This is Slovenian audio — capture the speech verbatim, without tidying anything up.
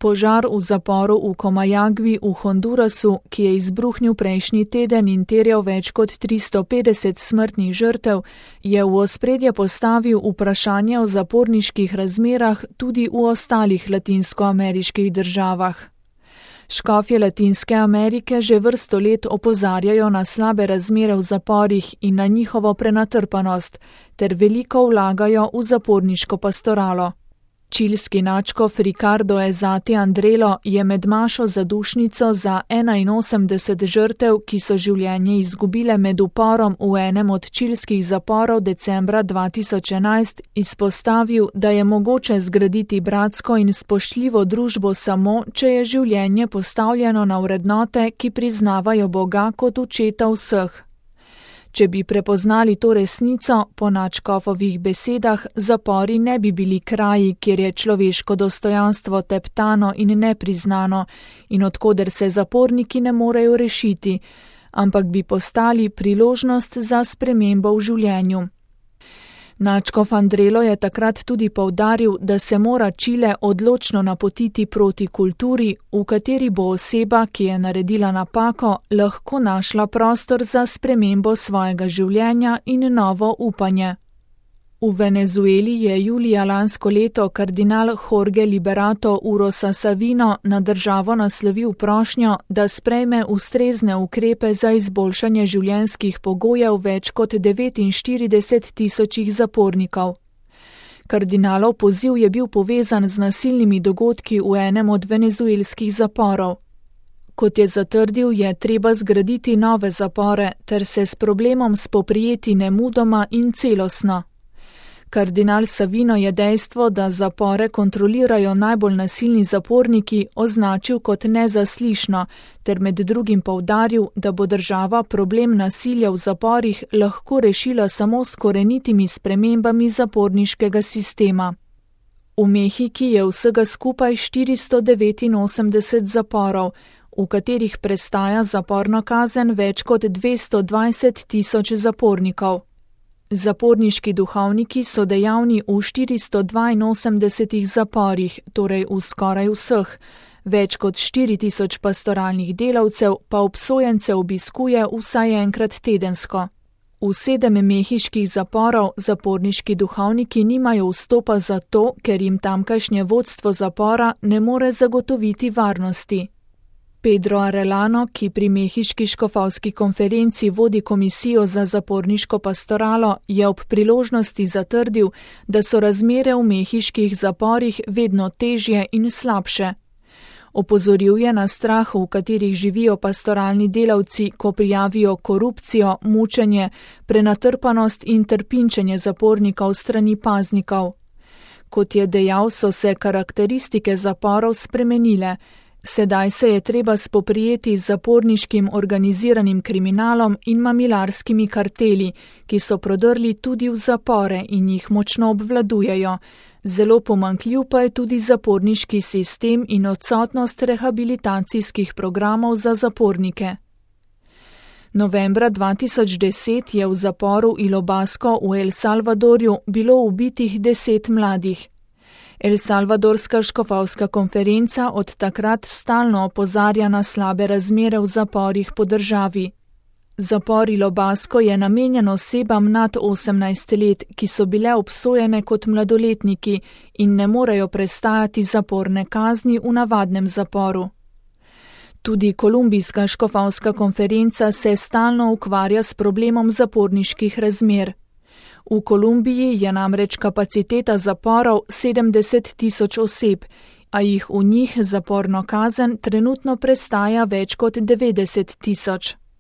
Požar v zaporu v Comayagui v Hondurasu, ki je izbruhnil prejšnji teden in terjal več kot tristo petdeset smrtnih žrtev, je v ospredje postavil vprašanje o zaporniških razmerah tudi v ostalih latinskoameriških državah. Škofje Latinske Amerike že vrsto let opozarjajo na slabe razmere v zaporih in na njihovo prenatrpanost, ter veliko vlagajo v zaporniško pastoralo. Čilski nadškof Ricardo Ezati Andrelo je med mašo zadušnico za enainosemdeset žrtev, ki so življenje izgubile med uporom v enem od čilskih zaporov decembra dva tisoč enajst, izpostavil, da je mogoče zgraditi bratsko in spoštljivo družbo samo, če je življenje postavljeno na vrednote, ki priznavajo Boga kot očeta vseh. Če bi prepoznali to resnico, po nadškofovih besedah, zapori ne bi bili kraji, kjer je človeško dostojanstvo teptano in nepriznano in odkoder se zaporniki ne morejo rešiti, ampak bi postali priložnost za spremembo v življenju. Nadškof Andrelo je takrat tudi poudaril, da se mora Čile odločno napotiti proti kulturi, v kateri bo oseba, ki je naredila napako, lahko našla prostor za spremembo svojega življenja in novo upanje. V Venezueli je julija lansko leto kardinal Jorge Liberato Urosa Savino na državo naslovil prošnjo, da sprejme ustrezne ukrepe za izboljšanje življenjskih pogojev več kot devetinštirideset tisočih zapornikov. Kardinalov poziv je bil povezan z nasilnimi dogodki v enem od venezuelskih zaporov. Kot je zatrdil, je treba zgraditi nove zapore ter se s problemom spoprijeti nemudoma in celostno. Kardinal Savino je dejstvo, da zapore kontrolirajo najbolj nasilni zaporniki, označil kot nezaslišno, ter med drugim poudaril, da bo država problem nasilja v zaporih lahko rešila samo s korenitimi spremembami zaporniškega sistema. V Mehiki je vsega skupaj štiristo devetinosemdeset zaporov, v katerih prestaja zaporno kazen več kot dvesto dvajset tisoč zapornikov. Zaporniški duhovniki so dejavni v štiristo dvainosemdesetih zaporih, torej v skoraj vseh. Več kot štiri tisoč pastoralnih delavcev pa obsojence obiskuje vsaj enkrat tedensko. V sedem mehiških zaporov zaporniški duhovniki nimajo vstopa zato, ker jim tamkajšnje vodstvo zapora ne more zagotoviti varnosti. Pedro Arellano, ki pri mehiški škofovski konferenci vodi komisijo za zaporniško pastoralo, je ob priložnosti zatrdil, da so razmere v mehiških zaporih vedno težje in slabše. Opozoril je na strah, v katerih živijo pastoralni delavci, ko prijavijo korupcijo, mučenje, prenatrpanost in trpinčenje zapornikov strani paznikov. Kot je dejal, so se karakteristike zaporov spremenile. Sedaj se je treba spoprijeti z zaporniškim organiziranim kriminalom in mamilarskimi karteli, ki so prodrli tudi v zapore in jih močno obvladujejo. Zelo pomanjkljiv pa je tudi zaporniški sistem in odsotnost rehabilitacijskih programov za zapornike. Novembra dva tisoč deset je v zaporu Ilobasco v El Salvadorju bilo ubitih deset mladih. El Salvadorska škofovska konferenca od takrat stalno opozarja na slabe razmere v zaporih po državi. Zapor Ilobasco je namenjen osebam nad osemnajst let, ki so bile obsojene kot mladoletniki in ne morejo prestajati zaporne kazni v navadnem zaporu. Tudi kolumbijska škofovska konferenca se stalno ukvarja s problemom zaporniških razmer. V Kolumbiji je namreč kapaciteta zaporov sedemdeset tisoč oseb, a jih v njih zaporno kazen trenutno prestaja več kot devetdeset tisoč.